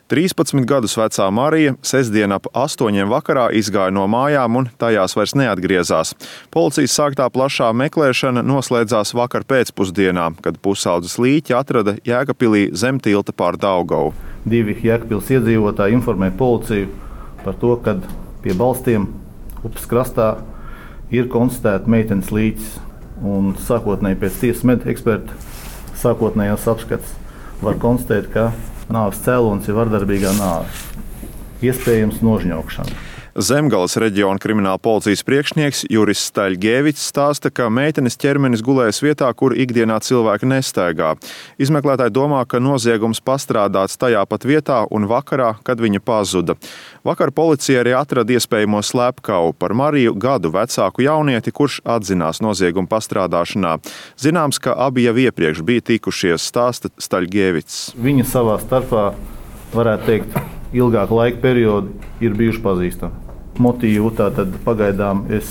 13 gadus vecā Marija sestdien ap 8 vakarā izgāja no mājām un tajās vairs neatgriezās. Policijas sāktā plašā meklēšana noslēdzās vakar pēcpusdienā, kad pusaudzes līķi atrada Jēkabpilī zem tilta pār Daugavu. 2 Jēkabpils iedzīvotāji informēja policiju par to, ka pie balstiem upes krastā ir konstatēta meitenes līķis. Un sākotnēji pēc tiesas medeksperta sākotnējās apskates var konstatēt, ka nāves cēlonis ir vardarbīgā nāve, iespējams nožņaukšana. Zemgales reģiona krimināla policijas priekšnieks Juris Staļgēvics stāsta, ka meitenes ķermenis gulējas vietā, kur ikdienā cilvēki nestaigā. Izmeklētāji domā, ka noziegums pastrādāts tajā pat vietā un vakarā, kad viņa pazuda. Vakar policija arī atrada iespējamo slepkavu par Mariju gadu vecāku jaunieti, kurš atzinās noziegumu pastrādāšanā. Zināms, ka abi jau iepriekš bija tikušies, stāsta Staļgēvics. Viņi savā starpā, varētu teikt, ilgāku laika periodu ir bijuši pazīstami. Motīvu tātad pagaidām es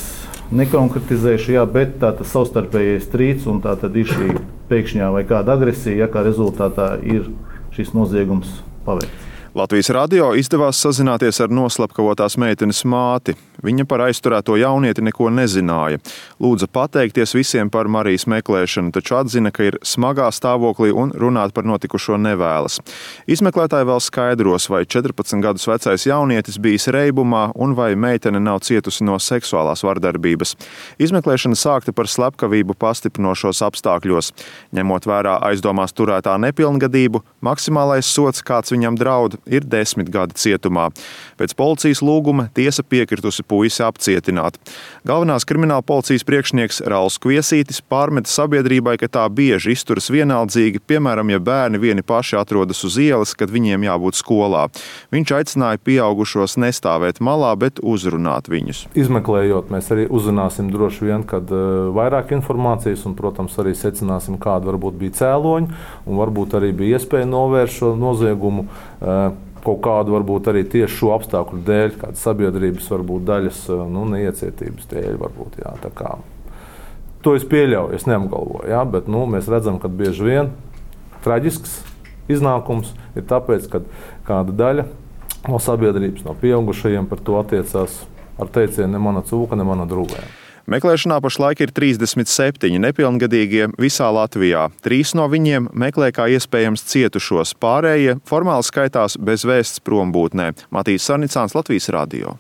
nekonkretizēšu, bet tātad savstarpējais strīds un tātad ir šī pēkšņā vai kāda agresija, kā rezultātā ir šis noziegums paveikts. Latvijas radio izdevās sazināties ar noslepkavotās meitenes māti. Viņa par aizturēto jaunieti neko nezināja. Lūdza pateikties visiem par Marijas meklēšanu, taču atzina, ka ir smagā stāvoklī un runāt par notikušo nevēlas. Izmeklētāji vēl skaidros, vai 14 gadus vecais jaunietis bijis reibumā un vai meitene nav cietusi no seksuālās vardarbības. Izmeklēšana sākta par slepkavību pastiprinošos apstākļos. Ņemot vērā aizdomās turētā nepilngadību, maksimālais sods, kāds viņam draud, ir 10 gadi cietumā. Pēc policijas lūguma tiesa piekritusi puisi apcietināt. Galvenās krimināla policijas priekšnieks Rauls Kviesītis pārmeta sabiedrībai, ka tā bieži izturas vienaldzīgi, piemēram, ja bērni vieni paši atrodas uz ielas, kad viņiem jābūt skolā. Viņš aicināja pieaugušos nestāvēt malā, bet uzrunāt viņus. Izmeklējot, mēs arī uzzināsim droši vien, kad vairāk informācijas un, protams, arī secināsim, kāda varbūt bija cēloņi un varbūt arī bija iespēja novērst šo noziegumu kaut kādu varbūt arī tieši šo apstākļu dēļ, kāda sabiedrības varbūt daļas neiecietības dēļ varbūt, jā, tā kā. To es pieļauju, es neapgalvoju, jā, bet mēs redzam, ka bieži vien traģisks iznākums ir tāpēc, ka kāda daļa no sabiedrības, no pieaugušajiem par to attiecās ar teicienu ne mana cūka, ne mana drūvēja. Meklēšanā pašlaik ir 37 nepilngadīgie visā Latvijā. 3 no viņiem meklē kā iespējams cietušos, pārējie formāli skaitās bez vēsts prombūtnē. Matīs Sarnicāns, Latvijas radio.